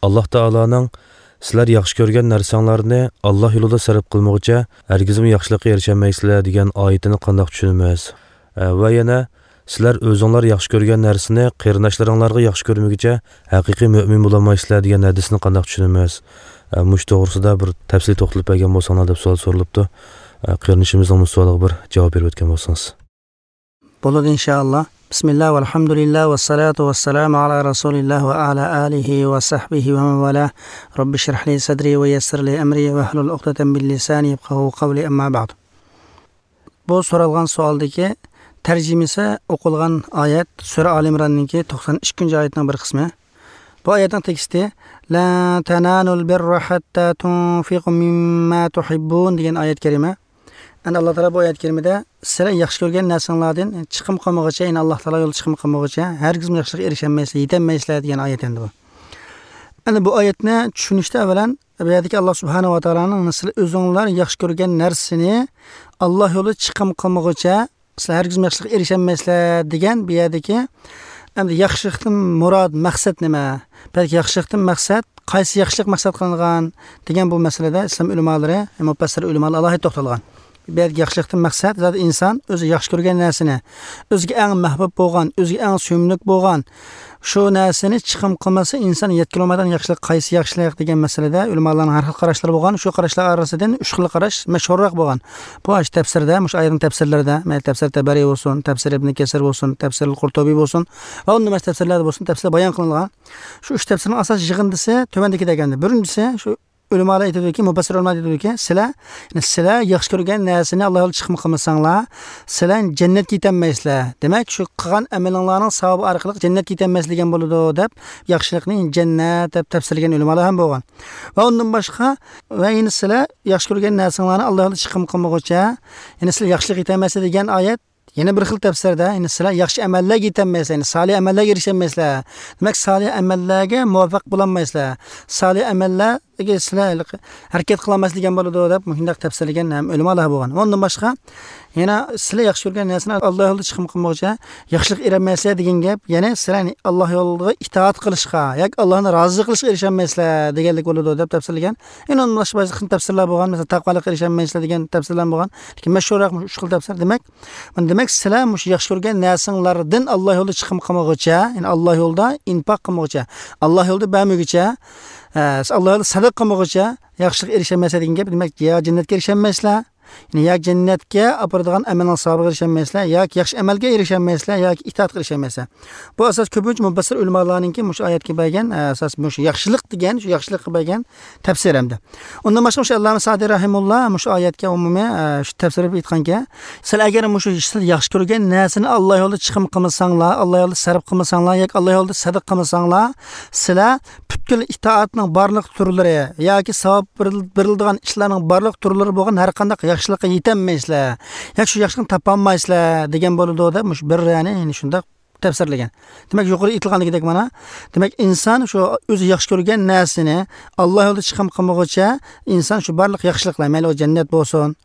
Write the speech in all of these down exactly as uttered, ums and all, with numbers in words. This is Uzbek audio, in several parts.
Alloh taoloning sizlar yaxshi ko'rgan narsanglarni Alloh yo'lida sarf qilmoqcha hargizmi yaxshilikka erisholmaysizlar degan oyatini qandoq tushunamiz? Va yana sizlar o'zinglar yaxshi ko'rgan narsani qarindoshlaringlarga yaxshi ko'rmaguncha haqiqiy mo'min bo'lolmaysizlar degan hadisni qandoq tushunamiz? Mush to'g'risida bir tafsil to'xtalib bergan bo'lsanglar deb savol so'ralibdi. Qarindishimizning savolga bir javob berib o'tgan bo'lsangiz. Bo'ladi inshaalloh. Bismillah velhamdülillah ve salatu ve selamu ala Resulillah ve ala alihi ve sahbihi ve men valah. Rabbi şrah li sadri ve yessir li emri ve hlul uqdatan min lisani yefkahu kavli amma ba'd. Bu so'ralgan savolдagi tarjimasi o'qilgan oyat Sura Ali Imronninki to'qson ikkinchi oyatning bir qismi. Bu oyatning teksti la tanalul birra hatta tunfiqu mimma tuhibbun degan oyat karima. Endi Alloh taolo bu oyat karimada sizlar yaxshi ko'rgan narsalardan chiqim qilmoqcha, ya'ni Alloh taolo yo'lida chiqim qilmoqcha, hargiz yaxshilikka erisholmaysizlar, yetolmaysizlar degan oyat endi bu. Endi bu oyatni tushunishda avvalan bu yerdagi Alloh subhanahu va taoloning sizlar o'zinglar yaxshi ko'rgan narsani Alloh yo'lida chiqim qilmoqcha, sizlar hargiz yaxshilikka erisholmaysizlar degan bu yerdagi endi yaxshilikdan murod maqsad nima? Balki yaxshilikdan maqsad qaysi yaxshilik maqsad qilingan degan bu masalada islom ulamolari, mufassir ulamolari alohida to'xtalgan. Bu yerdagi yaxshilikdan maqsad zat inson o'zi yaxshi ko'rgan narsani, o'ziga eng mahbub bo'lgan, o'ziga eng suyumli bo'lgan shu narsani chiqim qilmasa inson yetkazolmaydigan yaxshilik qaysi yaxshilik degan masalada ulamolarning har xil qarashlari bo'lgan. Shu qarashlar orasidan uch xil qarash mashhurroq bo'lgan. Bu ash tafsirda, mush ayrim tafsirlarda, mayli tafsir Tabariy bo'lsin, tafsir Ibn Kasir bo'lsin, tafsir Qurtubiy bo'lsin va undan boshqa tafsirlarda bo'lsin, tafsir bayon qilingan. Shu uch tafsirning asosiy yig'indisi tuvandagi deganda. Birinchisi shu ulamolar aytadiki, mufassir ulamolar aytadiki, sizlar, ya'ni sizlar yaxshi ko'rgan narsani Alloh yo'lida chiqim qilmasanglar, sizlar jannatga yetolmaysizlar. Demak, shu qilgan amalinglarning savobi orqali jannatga yetolmasligan bo'ladi deb yaxshilikni jannat deb tafsirlagan ulamolar ham bo'lgan. Va undan boshqa va yana sizlar yaxshi ko'rgan narsanglarni Alloh yo'lida chiqim qilmoqcha, ya'ni sizlar yaxshilik yetolmaysizlar degan oyat yana bir xil tafsirda, ya'ni sizlar yaxshi amallarga yetolmaysizlar, ya'ni solih amallarga erisholmaysizlar. Demak, solih amallarga muvaffaq bo'lolmaysizlar. Solih amallarga sizlar harakat qilolmasligan bo'ladi deb shunday tafsirlagan ham ulamolar bo'lgan. Undan boshqa yana sizlar yaxshi ko'rgan narsani Alloh yo'lida chiqim qilmoqcha, yaxshilik erolmaysizlar degan gap, ya'ni sizlar Alloh yo'lida itoat qilishga yoki Allohni rozi qilishga erisholmaysizlar deganlik bo'ladi deb tafsirlagan. Yana undan boshqa ba'zi xil tafsirlar bo'lgan, masalan taqvolikka erisholmaysizlar degan tafsirlar bo'lgan. Lekin mashhurroq uch xil tafsir. Demak, mana demak sizlar mush yaxshi ko'rgan narsanglardan Alloh yo'lida chiqim qilmoqcha, ya'ni Alloh yo'lida infoq qilmoqcha, Alloh yo'lida bermoqcha, Alloh yo'lida sadaqa qilmoqcha, yaxshilik erisholmaysiz degan gap, demak, yo jannatga erisholmaysizlar, ya'ni yo jannatga aparadigan amalning savobiga erisholmaysizlar, yoki yaxshi amalga erisholmaysizlar, yoki itoatga erisholmaysizlar. Bu asos ko'pincha mufassir ulamolarninki mush oyatga bergan asos mush yaxshilik degan, shu yaxshilikqa bergan tafsir hamda. Undan boshqa mush Alloma Sa'diy rahimulloh mush oyatga umumiy shu tafsir berib aytganki, sizlar agar mush sizlar yaxshi ko'rgan narsani Alloh yo'lida chiqim qilmasanglar, Alloh yo'lida sarf qilmasanglar yoki Alloh yo'lida sadaqa qilmasanglar, sizlar butkul itoatning barliq turlari yoki savob beriladigan ishlarning barliq turlari bo'lgan har qanday yaxshilikka yetolmaysizlar, yoki shu yaxshilikni topolmaysizlar degan bo'ladi deb mush bir ya'ni shunday tafsirlagan. Demak, yuqori aytilganligidek mana, demak inson shu o'zi yaxshi ko'rgan narsani Alloh yo'lida chiqim qilmoqcha, inson shu barliq yaxshiliklar, mayli u jannat bo'lsin,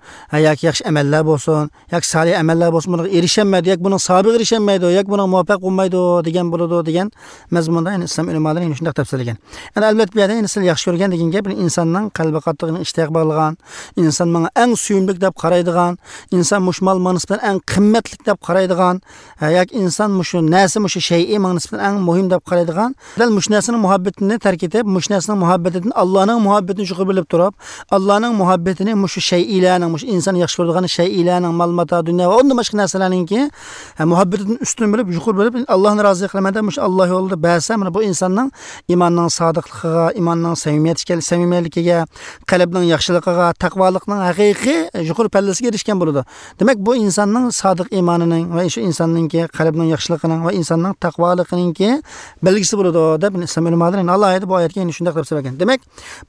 yoki yaxshi amallar bo'lsin, yoki solih amallar bo'lsin, bunga erisholmaydi, yoki buning savobiga erisholmaydi, yoki buning muvaffaq bo'lmaydi degan bo'ladi degan mazmunda ya'ni islom ulamolari yana shunday tafsirlagan. Endi albatta bu yerda ya'ni sizlar yaxshi ko'rgan degan gap insonning qalbi qattiq ishtiyoq bog'lagan, inson menga eng suyumli deb qaraydigan, inson mush mol nisbatan eng qimmatli deb qaraydigan, yoki inson mushu narsa mushu shay'i menga nisbatan eng muhim deb qaraydigan, dal mush narsaning muhabbatini tark etib, mush narsaning muhabbatidan Allohning muhabbatini yuqori bilib turib, Allohning muhabbatini mushu shay'ilarning, mushu inson yaxshi ko'radigan shay'ilarning, mol mato, dunyo va undan boshqa narsalarningki muhabbatidan ustun bilib, yuqori bilib, Allohni rozi qilaman deb mushu Alloh yo'lida bersa, mana bu insonning iymonning sodiqligiga, iymonning samimiyatiga, samimiyligiga, qalbning yaxshiligiga, taqvolikning haqiqiy yuqori pallasiga erishgan bo'ladi. Demak, bu insonning sodiq iymonining va shu insonningki qalbining yaxshiligining va insonning taqvoliginingki belgisi bo'ladi deb islom ulamolari alohida bu oyatga endi shunday deb so'ragan. Demak,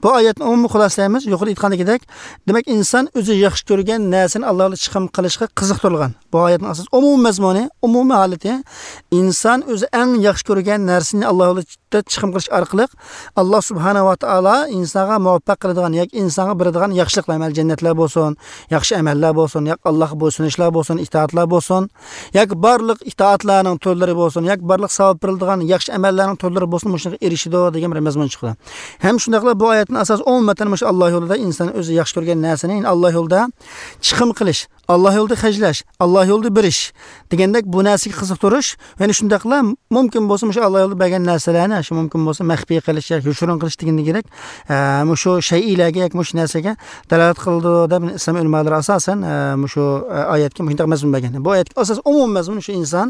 bu oyatni umumiy xulosalaymiz, yuqori aytgandagidek, demak inson o'zi yaxshi ko'rgan narsani Alloh yo'lida chiqim qilishga qiziqtirilgan. Bu oyatning asos umumiy mazmuni, umumiy holati inson o'zi eng yaxshi ko'rgan narsani Alloh yo'lida chiqim qilish orqali Alloh subhanahu va taolo insonga muvaffaq qiladigan yoki insonga beradigan yaxshiliklar, mayli jannatlar bo'lsin, yaxshi amallar bo'lsin, yoki Allohga bo'ysunishlar bo'lsin, itoatlar bo'lsin, yoki barliq itoatlarning turlari to'rlari bo'lsin, yoki barliq savob beriladigan yaxshi amallarning to'rlari bo'lsin, shunga erishidi degan bir mazmun chiqdi. Ham shundaqla bu oyatning asosi umuman shu Alloh yo'lida inson o'zi yaxshi ko'rgan narsani, ya'ni Alloh yo'lida chiqim qilish, Alloh yo'lida xarjlash, Alloh yo'lida berish degandek bu narsaga qiziqtirish, ya'ni shundaqla mumkin bo'lsa shu Alloh yo'lida bergan narsalarni shu mumkin bo'lsa maxfiy qilish yoki yoshirin qilish degandek kerak, shu shaylarga yoki shu narsaga dalolat qildi deb islom ulamolari asosan shu oyatga shunday mazmun bergan. Bu oyatga asos umumiy mazmun shu inson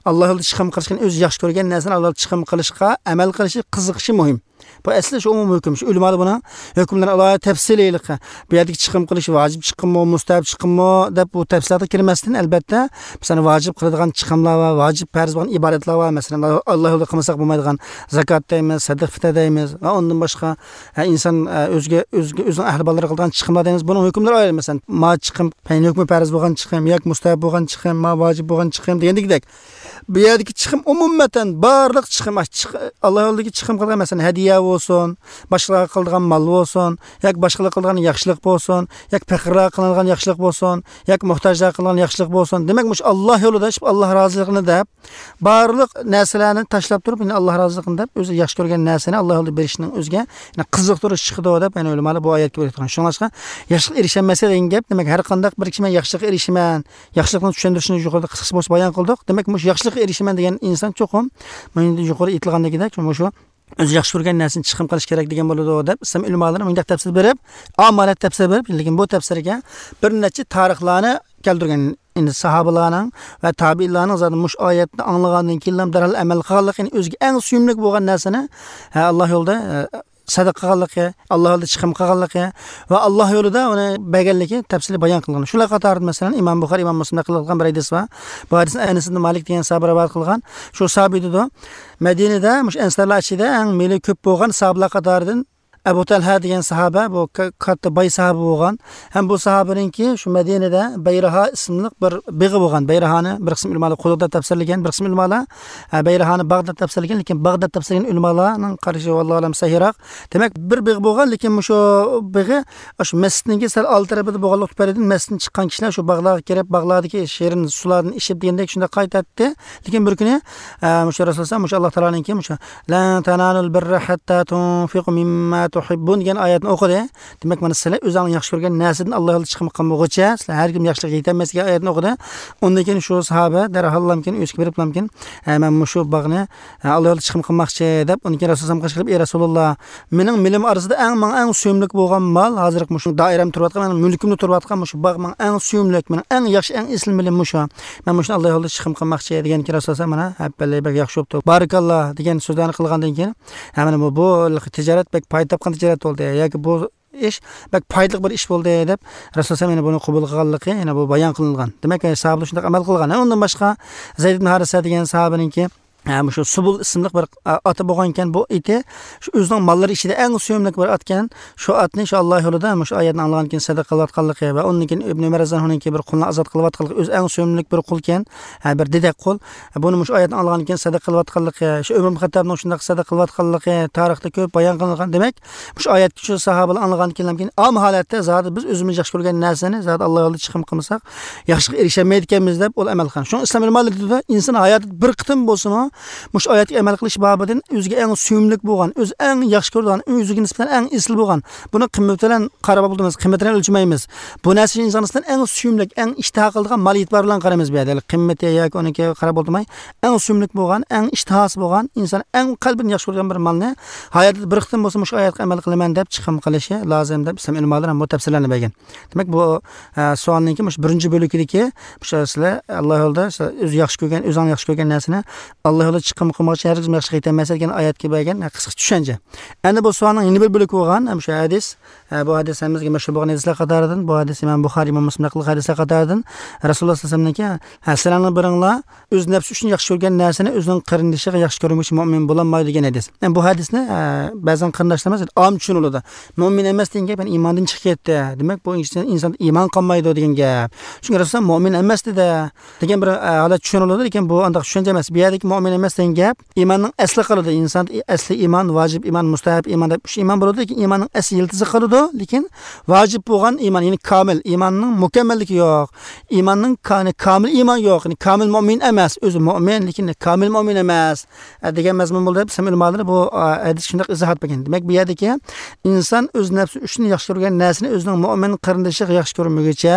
Alloh yo'lida chiqim qilishni, o'zi yaxshi ko'rgan narsani Alloh yo'lida chiqim qilishga amal qilishi, qiziqishi muhim. Bu asli shu umumiy hukm. Shu ulamolar buni hukmlarni alohida tafsiliylik, bu yerdagi chiqim qilish vojib chiqimmi, mustahab chiqimmi deb bu tafsilotga kirmasdan, albatta masalan vojib qiladigan chiqimlar va vojib farz bo'lgan ibodatlar va masalan Alloh yo'lida qilmasak bo'lmaydigan zakot deymiz, sadaqa fitr deymiz va undan boshqa inson o'ziga o'ziga o'zining ahli bolalari qiladigan chiqimlar deymiz. Buning hukmlari ayrim, masalan ma chiqim, hukmi farz bo'lgan chiqim yoki mustahab bo'lgan chiqim, ma vojib bo'lgan chiqim degandek. Bu yerdagi chiqim umuman barliq chiqim, Alloh yo'lidagi chiqim qilgan masalan hadiya bo'lsin, boshqalarga qiladigan mol bo'lsin, yoki boshqalar qiladigan yaxshilik bo'lsin, yoki faqirlarga qilingan yaxshilik bo'lsin, yoki muhtojlarga qilingan yaxshilik bo'lsin. Demak, mush Alloh yo'lida Alloh roziligini deb barliq narsalarni tashlab turib, ya'ni Alloh roziligini deb o'zi yaxshi ko'rgan narsani Alloh yo'lida berishning o'ziga ya'ni qiziqtirish chiqdi deb ya'ni ulamolar bu oyatga bergan. Shunga yaxshilik erishammasa degan gap, demak har qanday bir kishi men yaxshilikka erishaman, yaxshilikni tushuntirishni yuqorida qisqacha bo'lsa bayon qildik. Demak, mush yaxshilikka erishaman degan inson cho'qim mana yuqori aytilgandagidek shu o'zi yaxshi ko'rgan narsani chiqim qilish kerak degan bo'ladi deb islom ulamolari bunday tafsir berib, amalat tafsir berib, lekin bu tafsirga bir necha tarixlarni keltirgan. Endi sahobalarning va tabiinlarning zaten mush oyatni anglagandan keyin darhol amal qilganligi, ya'ni o'ziga eng suyumli bo'lgan narsani Alloh yo'lida sadaqa qilganligi, Alloh yo'lida chiqim qilganligi va Alloh yo'lida uni berganligi tafsili bayon qilingan. Shular qatorida masalan Imom Buxoriy, Imom Muslim qilgan bir hadis bor. Bu hadisni Anas ibn Malik degan sahoba rivoyat qilgan. Shu sahobiy dedi, Madinada mush ansarlar ichida eng meli ko'p bo'lgan sahobalar qatoridan Abu Talha degan sahoba, bu katta boy sahoba bo'lgan. Ham bu sahobaningki shu Madinada Bayraha ismli bir big'i bo'lgan. Bayrahani bir qism ulamolar quduqda tafsirlagan, bir qism ulamolar Bayrahani Bag'dod tafsirlagan, lekin Bag'dod tafsirlagan ulamolarning qarashi vallohu alam sahihroq. Demak, bir big'i bo'lgan, lekin shu big'i shu masjidninki sal old tarafida bo'lganlik tufaylidan masjiddan chiqqan kishilar shu bog'larga kirib, bog'lardagi shirin suvlarni ichib degandek shunda qaytadi. Lekin bir kuni shu Rasululloh shu Alloh taoloninki shu la tanalul birra hatta tunfiqu mimma tuhibbun degan oyatni o'qidi. Demak, mana sizlar o'zingizning yaxshi ko'rgan narsadan Alloh yo'lida chiqim qilmoqchi, sizlar har kim yaxshilikka yetolmas degan oyatni o'qidi. Undan keyin shu sahoba darhol keyin o'ziga berib keyin men shu bog'ni Alloh yo'lida chiqim qilmoqchi deb, undan keyin Rasululloh qilib, ey Rasululloh, mening milim orasida eng menga eng suyumli bo'lgan mol hozir shu doiram turayotgan, mening mulkimda turayotgan shu bog' menga eng suyumli, mening eng yaxshi, eng esli milim shu. Men shuni Alloh yo'lida chiqim qilmoqchi degan keyin Rasululloh mana happalay bek yaxshi bo'pti, barakalloh degan so'zlarni qilgandan keyin mana bu bu tijorat bek foyda topgan tijorat bo'ldi yoki bu ish bek foydali bir ish bo'ldi deb Rasululloh mana buni qabul qilganligi yana bu bayon qilingan. Demak, sahobalar shunday amal qilgan. Undan boshqa Zayd ibn Harisa degan sahobaningki shu Subul ismli bir oti bo'lgan ekan. Bu iti shu o'zining mollari ichida eng suyumli bir otgan. Shu otni shu Alloh yo'lida shu oyatni anglagan keyin sadaqa qilayotganligi va undan keyin Ibn Umar roziyallohu bir qulni ozod qilayotganligi, o'zi eng suyumli bir qul ekan, bir dedak qul. Buni shu oyatni anglagan keyin sadaqa qilayotganligi, shu Umar ibn Xattabning shunday sadaqa qilayotganligi tarixda ko'p bayon qilingan. Demak, shu oyatni shu sahobalar anglagan keyin am holatda zot biz o'zimiz yaxshi ko'rgan narsani zot Alloh yo'lida chiqim qilmasak, yaxshilikka erisholmaydi ekanmiz deb ul amal qilgan. Shu islom ulamolari dedi, inson hayotida bir qitim bo'lsin mush oyatga amal qilish bobidan o'ziga eng suyumli bo'lgan, o'zi eng yaxshi ko'rgan, o'ziga nisbatan eng esli bo'lgan. Buni qiymati bilan qarab bo'lamiz, qiymatini o'lchamaymiz. Bu narsa inson nisbatan eng suyumli, eng ishtiho qiladigan mol e'tibor bilan qaraymiz bu yerda. Qiymati yoki uniki qarab bo'lmay, eng suyumli bo'lgan, eng ishtihosi bo'lgan, inson eng qalbini yaxshi ko'rgan bir molni hayotida bir qitim bo'lsa mush oyatga amal qilaman deb chiqim qilishi lozim deb islom ulamolari ham bu tafsirlarni bergan. Demak, bu savolninki mush birinchi bo'lagidagi shu sizlar Alloh yo'lida o'zi yaxshi ko'rgan, o'zing yaxshi ko'rgan narsani Alloh yo'lida chiqim qilmoqchi, har kim yaxshi yetolmas degan oyatga bergan qisqa tushuncha. Endi bu savolning yana bir bo'lagi bo'lgan shu hadis, bu hadis hammamizga mashhur bo'lgan hadislar qatoridan, bu hadis Imom Buxoriy, Imom Muslim qilgan hadislar qatoridan Rasululloh sollallohu alayhi vasallamniki, sizlarning biringlar o'z nafsi uchun yaxshi ko'rgan narsani o'zining qarindoshiga yaxshi ko'rmoqchi mo'min bo'lolmaydi degan hadis. Endi bu hadisni ba'zan qarindoshlarimiz om tushuniladi. Mo'min emas degan gap, ya'ni iymondan chiqib ketdi. Demak, bu inson iymon qolmaydi degan gap. Chunki Rasululloh mo'min emas dedi degan bir holat tushuniladi, lekin bu andaq tushuncha emas. Bu yerdagi mo'min emas degan gap iymonning asli qiladi. Inson asli iymon, vojib iymon, mustahab iymon deb uch iymon bo'ladi, lekin iymonning asli yiltizi qiladi, lekin vojib bo'lgan iymon, ya'ni komil iymonning mukammalligi yo'q. Iymonning komil iymon yo'q, ya'ni komil mo'min emas, o'zi mo'min, lekin komil mo'min emas degan mazmun bo'ldi. Islom ulamoları bu hadis shundoq izohat bergan. Demak, bu yerdagi inson o'z nafsi uchun yaxshi ko'rgan narsani o'zining mo'min qarindoshiga yaxshi ko'rmaguncha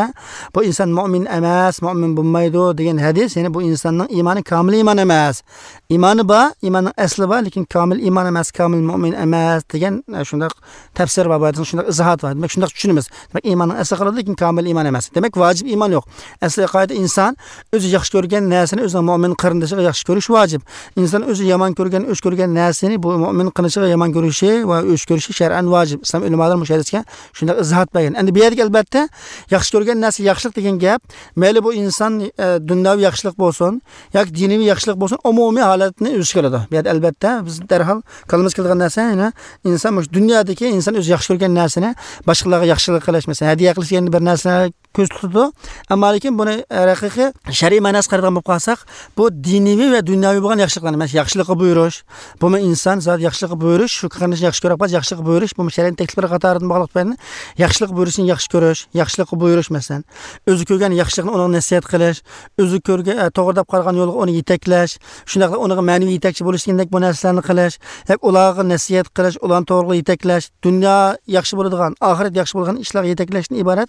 bu inson mo'min emas, mo'min bo'lmaydi degan hadis, ya'ni bu insonning iymoni komil iymon emas. Iymoni bor, iymonning asli bor, lekin komil iymon emas, komil mo'min emas degan shundoq tafsir bor, bu hadisning shundoq izohati bor. Demak, shundoq tushunamiz. Demak, iymonning asli qiladi, lekin komil iymon emas. Demak, vojib iymon yo'q. Asli qoida inson o'zi yaxshi ko'rgan narsani o'zining mo'min qarindoshiga yaxshi ko'rish vojib. Inson o'zi yomon ko'rgan, o'ch ko'rgan narsani bu mo'min qilishga yomon ko'rishi va o'ch ko'rishi shar'an vojib. Islom ulamolari bu hadisga shundoq izohat bergan. Endi bu yerga albatta yaxshi ko'rgan narsa yaxshilik degan gap, mayli bu inson e, dunyoviy yaxshilik bo'lsin yoki diniy yaxshilik bo'lsin, umumiy holatni o'z keladi. Bu yerda albatta biz darhol kalimiz keladigan narsa, ya'ni inson shu dunyodagi inson o'zi yaxshi ko'rgan narsani boshqalarga yaxshilik qilish, masalan, hadiya qilish degan bir narsa ko'z tutadi. Ammo lekin buni haqiqiy shar'iy ma'nosi qaraydigan bo'lib qolsak, bu diniy va dunyoviy bo'lgan yaxshiliklarni, masalan, yaxshilikqa buyurish, bu inson zot yaxshilikqa buyurish, shu qarindoshni yaxshi ko'rib qolish, yaxshilikqa buyurish, bu shariat takliflari qatoridan bog'liq bo'lgan yaxshilik buyurishni yaxshi ko'rish, yaxshilikqa buyurish, masalan, o'zi ko'rgan yaxshilikni unga nasihat qilish, o'zi ko'rgan to'g'ri deb qaragan yo'lga uni yetaklash, shundoq unga ma'naviy yetakchi bo'lish degandek bu narsalarni qilish, yoki ularga nasihat qilish, ularni to'g'ri yetaklash, dunyo yaxshi bo'ladigan, oxirat yaxshi bo'lgan ishlarga yetaklashdan iborat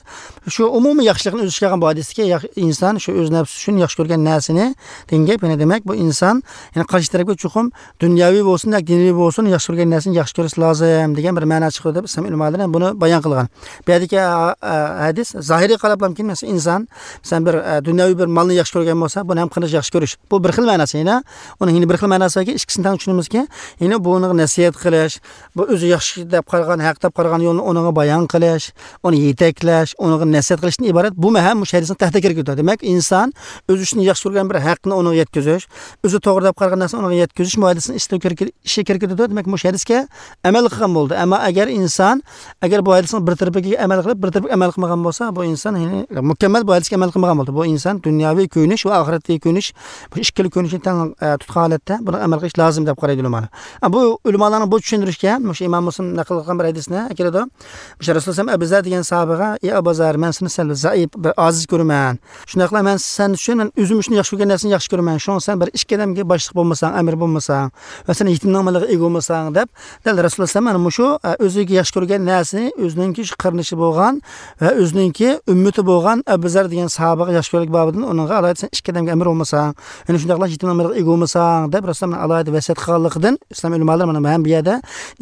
shu umumiy yaxshilikni o'z ichiga olgan bu hadisdagi inson shu o'z nafsi uchun yaxshi ko'rgan narsani degan gap, ya'ni demak bu inson, ya'ni qarshi tarafga chuqur dunyoviy bo'lsin yoki diniy bo'lsin yaxshi ko'rgan narsani yaxshi ko'rish lozim degan bir ma'no chiqadi deb islom ulamolari buni bayon qilgan. Bu yerdagi hadis zohiriy qarab ham masalan inson masalan bir dunyoviy bir molni yaxshi ko'rgan bo'lsa, buni ham qilish yaxshi ko'rish. Bu bir xil ma'nosi, ya'ni uning yana bir xil ma'nosi borki, ikkisini tang tushunamizki, ya'ni buni nasihat qilish, bu o'zi yaxshi deb qaragan, haq deb qaragan yo'lni unga bayon qilish, uni yetaklash, unga nasihat qilishdan iborat. Bu ham mush hadisning tahta kirib ketadi. Demak, inson o'zi uchun yaxshi ko'rgan bir haqni unga yetkazish, o'zi to'g'ri deb qaragan narsani unga yetkazish bu hadisning ichiga kirib ketadi. Demak, mush hadisga amal qilgan bo'ldi. Ammo agar inson agar bu hadisning bir tarafiga amal qilib, bir tarafiga amal qilmagan bo'lsa, bu inson ya'ni mukammal bu hadisga amal qilmagan bo'ldi. Bu inson dunyoviy ko'nish va oxiratdagi ko'nish, bu ikkili ko'nishni tang tutgan holatda buni amal qilish lozim deb qaraydi ulamolar. Bu ulamolarning bu tushuntirishga mush Imom Muslim naql qilgan bir hadisni keladi. Mush Rasululloh Abu Zar degan sahobaga: "Ey Abu Zar, men seni sal zaif, bir oziz ko'raman. Shundaqla men sen uchun, men o'zim uchun yaxshi ko'rgan narsani yaxshi ko'raman. Shunga sen bir ikki odamga boshliq bo'lmasang, amir bo'lmasang va sen yetimning moliga ega bo'lmasang" deb dal Rasululloh mana mushu o'ziga yaxshi ko'rgan narsani o'zininki shu qarinishi bo'lgan va o'zininki ummati bo'lgan Abu Zar degan sahobaga yaxshi ko'rlik bobidan uningga alohida sen ikki odamga amir bo'lmasang, ya'ni shundaqla yetimning moliga ega bo'lmasang deb Rasululloh alohida vasiyat qilganligidan islom ulamolari mana ham bu yerda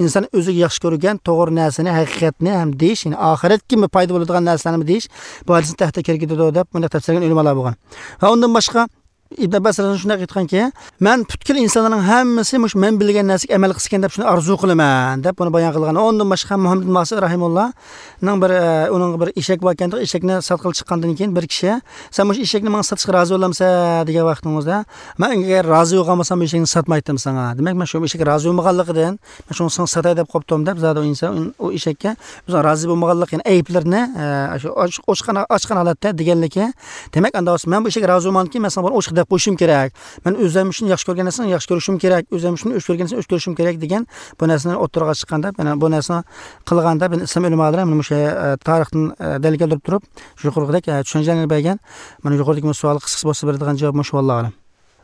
inson o'ziga yaxshi ko'rgan to'g'ri narsani, haqiqatni ham deyish, ya'ni oxiratga foyda bo'ladigan narsalarni deyish bu hadisning tahta kirib ketadi deb bunday tafsirlagan ulamolar bo'lgan. Va undan boshqa Ibn Abbas radhiyallohu shunday aytganki, men butkul insonlarning hammasi mush men bilgan narsaga amal qilsin deb shuni orzu qilaman deb buni bayon qilgan. Undan boshqa Muhammad Masih rahimullohning bir uning bir eshak bor ekan, eshakni sotqil chiqqandan keyin bir kishi, "Sen mush eshakni menga sotishga rozi bo'lamsan?" degan vaqtingizda, "Men agar rozi bo'lgan bo'lsam, eshakni sotmaydim senga." Demak, men shu eshakka rozi bo'lmaganligidan, men shuni senga sotay deb qopdim deb zado inson u eshakka o'zi rozi bo'lmaganlik, ya'ni ayblarini shu ochiq ochiq holatda deganligi. Demak, anda men bu eshakka rozi bo'lmanki, men senga buni deb qo'yishim kerak. Men o'zim uchun yaxshi ko'rgan narsani yaxshi ko'rishim kerak, o'zim uchun o'ch ko'rgan narsani o'ch ko'rishim kerak degan bu narsani o'ttirg'a chiqqanda, mana bu narsani qilganda islom ulamolari mana o'sha tarixdan dalil keltirib turib, shu yuqoridagi tushunchalarni bergan. Mana yuqoridagi savol qisqa bo'lsa beradigan javob shu, vallohu alam.